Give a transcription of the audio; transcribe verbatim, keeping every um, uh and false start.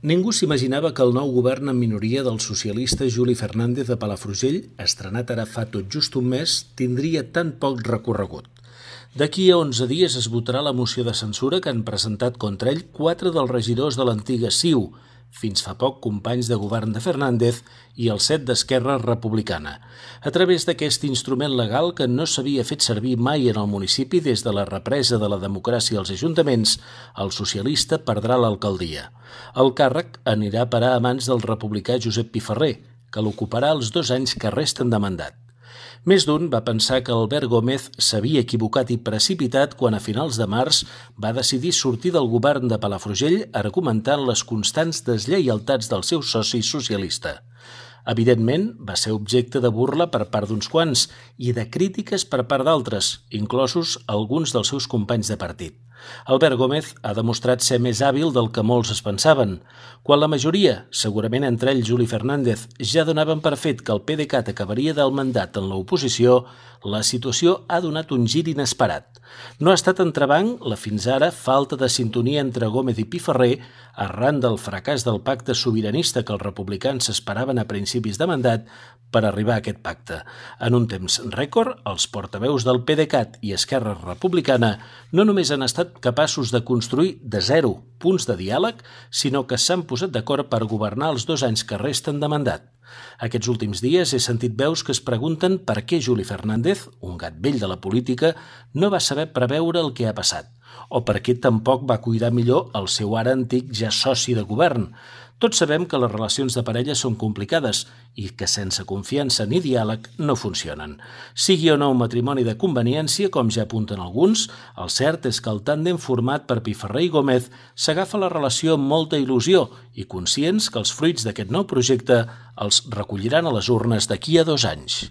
Ningú s'imaginava que el nou govern en minoria del socialista Juli Fernández de Palafrugell, estrenat ara fa tot just un mes, tindria tan poc recorregut. D'aquí a onze dies es votarà la moció de censura que han presentat contra ell quatre dels regidors de l'antiga C I U, fins fa poc companys de govern de Fernández, i els set d'Esquerra Republicana, a través d'aquest instrument legal que no s'havia fet servir mai en el municipi des de la represa de la democràcia als ajuntaments. El socialista perdrà l'alcaldia. El càrrec anirà a parar a mans del republicà Josep Piferrer, que l'ocuparà els dos anys que resten de mandat. Més d'un va pensar que Albert Gómez s'havia equivocat i precipitat quan a finals de març va decidir sortir del govern de Palafrugell argumentant les constants deslleialtats del seu soci socialista. Evidentment, va ser objecte de burla per part d'uns quants i de crítiques per part d'altres, inclosos alguns dels seus companys de partit. Albert Gómez ha demostrat ser més hàbil del que molts es pensaven. Quan la majoria, segurament entre ells Juli Fernández, ja donaven per fet que el PDeCAT acabaria del mandat en l'oposició, la situació ha donat un gir inesperat. No ha estat entrebanc la fins ara falta de sintonia entre Gómez i Piferrer arran del fracàs del pacte sobiranista que els republicans s'esperaven a principis de mandat per arribar a aquest pacte. En un temps rècord, els portaveus del PDeCAT i Esquerra Republicana no només han estat capaços de construir de zero punts de diàleg, sinó que s'han posat d'acord per governar els dos anys que resten de mandat. Aquests últims dies he sentit veus que es pregunten per què Juli Fernández, un gat vell de la política, no va saber preveure el que ha passat, o per què tampoc va cuidar millor el seu ara antic ja soci de govern. Tots sabem que les relacions de parella són complicades i que sense confiança ni diàleg no funcionen. Sigui o no un matrimoni de conveniència, com ja apunten alguns, el cert és que el tàndem format per Piferrer i Gómez s'agafa la relació amb molta il·lusió i conscients que els fruits d'aquest nou projecte els recolliran a les urnes d'aquí a dos anys.